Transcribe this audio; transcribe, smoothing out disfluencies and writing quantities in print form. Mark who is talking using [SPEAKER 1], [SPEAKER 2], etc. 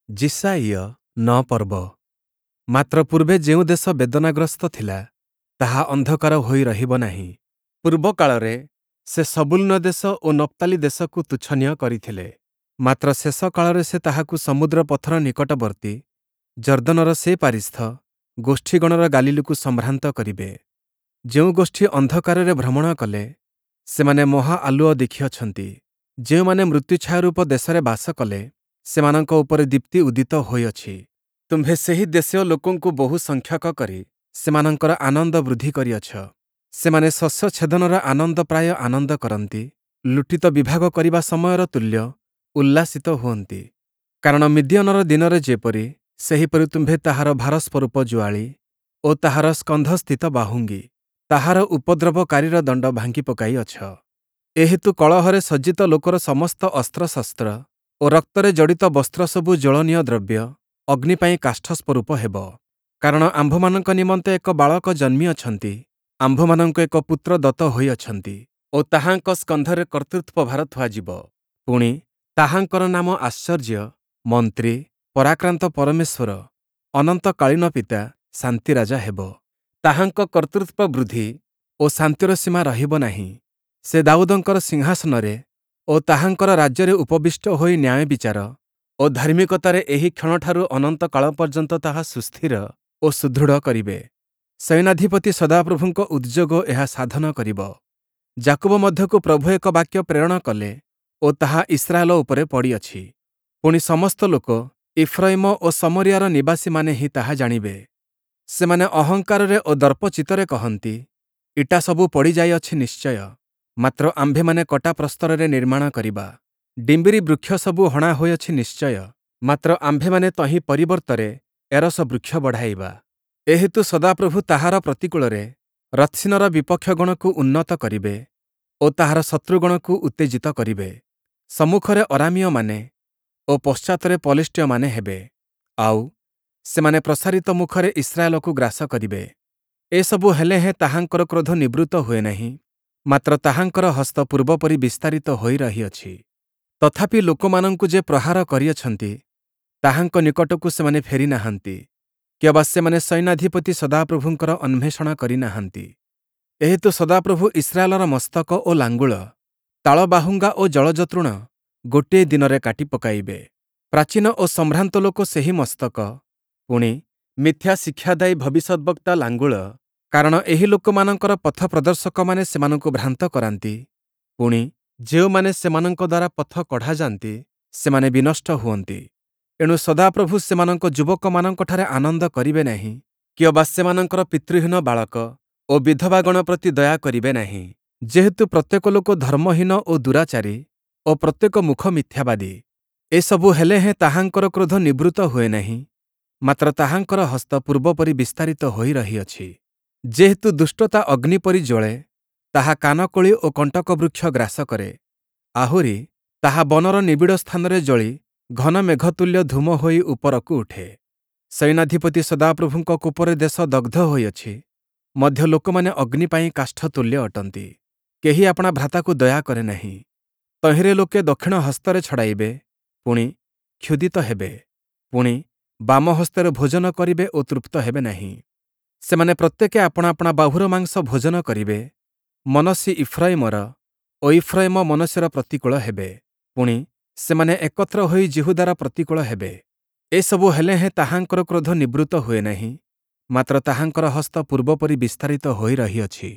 [SPEAKER 1] ଯିଶାଇୟ 9 ପର୍ବ। ମାତ୍ର ପୂର୍ବେ ଯେଉଁ ଦେଶ ବେଦନାଗ୍ରସ୍ତ ଥିଲା, ତାହା ଅନ୍ଧକାର ହୋଇ ରହିବ ନାହିଁ। ପୂର୍ବକାଳରେ ସେ ସବୂଲୂନ ଦେଶ ଓ ନପ୍ତାଲି ଦେଶକୁ ତୁଚ୍ଛନୀୟ କରିଥିଲେ, ମାତ୍ର ଶେଷ କାଳରେ ସେ ତାହାକୁ ସମୁଦ୍ର ପଥର ନିକଟବର୍ତ୍ତୀ ଯର୍ଦ୍ଦନର ସେ ପାରିସ୍ଥ ଗୋଷ୍ଠୀଗଣର ଗାଲିଲୀକୁ ସମ୍ଭ୍ରାନ୍ତ କରିବେ। ଯେଉଁ ଗୋଷ୍ଠୀ ଅନ୍ଧକାରରେ ଭ୍ରମଣ କଲେ, ସେମାନେ ମହା ଆଲୁଅ ଦେଖିଅଛନ୍ତି, ଯେଉଁମାନେ ମୃତ୍ୟୁଛାୟାରୂପ ଦେଶରେ ବାସ କଲେ, ସେମାନଙ୍କ ଉପରେ ଦୀପ୍ତି ଉଦିତ ହୋଇଅଛି। ତୁମ୍ଭେ ସେହି ଦେଶୀୟ ଲୋକଙ୍କୁ ବହୁ ସଂଖ୍ୟକ କରି ସେମାନଙ୍କର ଆନନ୍ଦ ବୃଦ୍ଧି କରିଅଛ। ସେମାନେ ଶସ୍ୟ ଛେଦନର ଆନନ୍ଦ ପ୍ରାୟ ଆନନ୍ଦ କରନ୍ତି, ଲୁଟିତ ବିଭାଗ କରିବା ସମୟର ତୁଲ୍ୟ ଉଲ୍ଲାସିତ ହୁଅନ୍ତି। କାରଣ ମିଦିୟନର ଦିନରେ ଯେପରି, ସେହିପରି ତୁମ୍ଭେ ତାହାର ଭାରସ୍ୱରୂପ ଜୁଆଳି ଓ ତାହାର ସ୍କନ୍ଧସ୍ଥିତ ବାହୁଙ୍ଗି, ତାହାର ଉପଦ୍ରବକାରୀର ଦଣ୍ଡ ଭାଙ୍ଗି ପକାଇଅଛ। ଏହେତୁ କଳହରେ ସଜ୍ଜିତ ଲୋକର ସମସ୍ତ ଅସ୍ତ୍ରଶସ୍ତ୍ର ଓ ରକ୍ତରେ ଜଡ଼ିତ ବସ୍ତ୍ରସବୁ ଜ୍ୱଳନୀୟ ଦ୍ରବ୍ୟ ଅଗ୍ନି ପାଇଁ କାଷ୍ଠସ୍ୱରୂପ ହେବ। କାରଣ ଆମ୍ଭମାନଙ୍କ ନିମନ୍ତେ ଏକ ବାଳକ ଜନ୍ମିଅଛନ୍ତି, ଆମ୍ଭମାନଙ୍କୁ ଏକ ପୁତ୍ର ଦତ୍ତ ହୋଇଅଛନ୍ତି ଓ ତାହାଙ୍କ ସ୍କନ୍ଧରେ କର୍ତ୍ତୃତ୍ୱ ଭାର ଥୁଆଯିବ। ପୁଣି, ତାହାଙ୍କର ନାମ ଆଶ୍ଚର୍ଯ୍ୟ, ମନ୍ତ୍ରୀ, ପରାକ୍ରାନ୍ତ ପରମେଶ୍ୱର, ଅନନ୍ତକାଳୀନ ପିତା, ଶାନ୍ତିରାଜା ହେବ। ତାହାଙ୍କ କର୍ତ୍ତୃତ୍ୱ ବୃଦ୍ଧି ଓ ଶାନ୍ତିର ସୀମା ରହିବ ନାହିଁ। ସେ ଦାଉଦଙ୍କର ସିଂହାସନରେ ଓ ତାହାଙ୍କର ରାଜ୍ୟରେ ଉପବିଷ୍ଟ ହୋଇ ନ୍ୟାୟ ବିଚାର ଓ ଧାର୍ମିକତାରେ ଏହି କ୍ଷଣଠାରୁ ଅନନ୍ତ କାଳ ପର୍ଯ୍ୟନ୍ତ ତାହା ସୁସ୍ଥିର ଓ ସୁଦୃଢ଼ କରିବେ। ସୈନ୍ୟାଧିପତି ସଦାପ୍ରଭୁଙ୍କ ଉଦ୍ଯୋଗ ଏହା ସାଧନ କରିବ। ଯାକୁବ ମଧ୍ୟକୁ ପ୍ରଭୁ ଏକ ବାକ୍ୟ ପ୍ରେରଣ କଲେ ଓ ତାହା ଇସ୍ରାଏଲ ଉପରେ ପଡ଼ିଅଛି। ପୁଣି ସମସ୍ତ ଲୋକ ଇଫ୍ରୟିମ ଓ ଶମରିୟାର ନିବାସୀମାନେ ହିଁ ତାହା ଜାଣିବେ। ସେମାନେ ଅହଙ୍କାରରେ ଓ ଦର୍ପଚିତ୍ତରେ କହନ୍ତି, ଇଟା ସବୁ ପଡ଼ିଯାଇଅଛି ନିଶ୍ଚୟ, ମାତ୍ର ଆମ୍ଭେମାନେ କଟା ପ୍ରସ୍ତରରେ ନିର୍ମାଣ କରିବା। ଡିମ୍ବିରି ବୃକ୍ଷ ସବୁ ହଣା ହୋଇଅଛି ନିଶ୍ଚୟ, ମାତ୍ର ଆମ୍ଭେମାନେ ତହିଁ ପରିବର୍ତ୍ତରେ ଏରସ ବୃକ୍ଷ ବଢ଼ାଇବା। ଏହେତୁ ସଦାପ୍ରଭୁ ତାହାର ପ୍ରତିକୂଳରେ ରତ୍ସୀନର ବିପକ୍ଷଗଣକୁ ଉନ୍ନତ କରିବେ ଓ ତାହାର ଶତ୍ରୁଗଣକୁ ଉତ୍ତେଜିତ କରିବେ। ସମ୍ମୁଖରେ ଅରାମୀୟମାନେ ଓ ପଶ୍ଚାତରେ ପଲେଷ୍ଟୀୟମାନେ ହେବେ, ଆଉ, ସେମାନେ ପ୍ରସାରିତ ମୁଖରେ ଇସ୍ରାଏଲକୁ ଗ୍ରାସ କରିବେ। ଏସବୁ ହେଲେ ହେଁ ତାହାଙ୍କର କ୍ରୋଧ ନିବୃତ୍ତ ହୁଏ ନାହିଁ, ମାତ୍ର ତାହାଙ୍କର ହସ୍ତ ପୂର୍ବପରି ବିସ୍ତାରିତ ହୋଇ ରହିଅଛି। ତଥାପି ଲୋକମାନଙ୍କୁ ଯେ ପ୍ରହାର କରିଅଛନ୍ତି, ତାହାଙ୍କ ନିକଟକୁ ସେମାନେ ଫେରି ନାହାନ୍ତି, କିଅବା ସେମାନେ ସୈନ୍ୟାଧିପତି ସଦାପ୍ରଭୁଙ୍କର ଅନ୍ୱେଷଣ କରି ନାହାନ୍ତି। ଏହେତୁ ସଦାପ୍ରଭୁ ଇସ୍ରାଏଲର ମସ୍ତକ ଓ ଲାଙ୍ଗୁଳ, ତାଳବାହୁଙ୍ଗା ଓ ଜଳଜତୃଣ ଗୋଟିଏ ଦିନରେ କାଟି ପକାଇବେ। ପ୍ରାଚୀନ ଓ ସମ୍ଭ୍ରାନ୍ତ ଲୋକ ସେହି ମସ୍ତକ, ପୁଣି, ମିଥ୍ୟା ଶିକ୍ଷାଦାୟୀ ଭବିଷ୍ୟଦ୍ବକ୍ତା ଲାଙ୍ଗୁଳ, କାରଣ ଏହି ଲୋକମାନଙ୍କର ପଥ ପ୍ରଦର୍ଶକମାନେ ସେମାନଙ୍କୁ ଭ୍ରାନ୍ତ କରାନ୍ତି, ପୁଣି, ଯେଉଁମାନେ ସେମାନଙ୍କ ଦ୍ୱାରା ପଥ କଢ଼ାଯାନ୍ତି, ସେମାନେ ବିନଷ୍ଟ ହୁଅନ୍ତି। ଏଣୁ ସଦାପ୍ରଭୁ ସେମାନଙ୍କ ଯୁବକମାନଙ୍କଠାରେ ଆନନ୍ଦ କରିବେ ନାହିଁ, କିଅବା ସେମାନଙ୍କର ପିତୃହୀନ ବାଳକ ଓ ବିଧବାଗଣ ପ୍ରତି ଦୟା କରିବେ ନାହିଁ। ଯେହେତୁ ପ୍ରତ୍ୟେକ ଲୋକ ଧର୍ମହୀନ ଓ ଦୁରାଚାରୀ ଓ ପ୍ରତ୍ୟେକ ମୁଖ ମିଥ୍ୟାବାଦୀ। ଏସବୁ ହେଲେ ହେଁ ତାହାଙ୍କର କ୍ରୋଧ ନିବୃତ୍ତ ହୁଏ ନାହିଁ, ମାତ୍ର ତାହାଙ୍କର ହସ୍ତ ପୂର୍ବପରି ବିସ୍ତାରିତ ହୋଇ ରହିଅଛି। ଯେହେତୁ ଦୁଷ୍ଟତା ଅଗ୍ନି ପରି ଜ୍ୱଳେ, ତାହା କାନକୋଳି ଓ କଣ୍ଟକ ବୃକ୍ଷ ଗ୍ରାସ କରେ, ଆହୁରି ତାହା ବନର ନିବିଡ଼ ସ୍ଥାନରେ ଜଳି ଘନ ମେଘତୁଲ୍ୟ ଧୂମ ହୋଇ ଉପରକୁ ଉଠେ। ସୈନ୍ୟାଧିପତି ସଦାପ୍ରଭୁଙ୍କ କୋପରେ ଦେଶ ଦଗ୍ଧ ହୋଇଅଛି, ମଧ୍ୟ ଲୋକମାନେ ଅଗ୍ନି ପାଇଁ କାଷ୍ଠ ତୁଲ୍ୟ ଅଟନ୍ତି। କେହି ଆପଣା ଭ୍ରାତାକୁ ଦୟା କରେ ନାହିଁ। ତହିଁରେ ଲୋକେ ଦକ୍ଷିଣ ହସ୍ତରେ ଛଡ଼ାଇବେ, ପୁଣି, କ୍ଷୁଧିତ ହେବେ, ପୁଣି, ବାମ ହସ୍ତରେ ଭୋଜନ କରିବେ ଓ ତୃପ୍ତ ହେବେ ନାହିଁ। ସେମାନେ ପ୍ରତ୍ୟେକେ ଆପଣା ଆପଣା ବାହୁର ମାଂସ ଭୋଜନ କରିବେ, ମନଃଶି ଇଫ୍ରୟିମର ଓ ଇଫ୍ରୟିମ ମନଃଶିର ପ୍ରତିକୂଳ ହେବେ, ପୁଣି, ସେମାନେ ଏକତ୍ର ହୋଇ ଯିହୁଦାର ପ୍ରତିକୂଳ ହେବେ। ଏସବୁ ହେଲେ ହେଁ ତାହାଙ୍କର କ୍ରୋଧ ନିବୃତ୍ତ ହୁଏ ନାହିଁ, ମାତ୍ର ତାହାଙ୍କର ହସ୍ତ ପୂର୍ବପରି ବିସ୍ତାରିତ ହୋଇ ରହିଅଛି।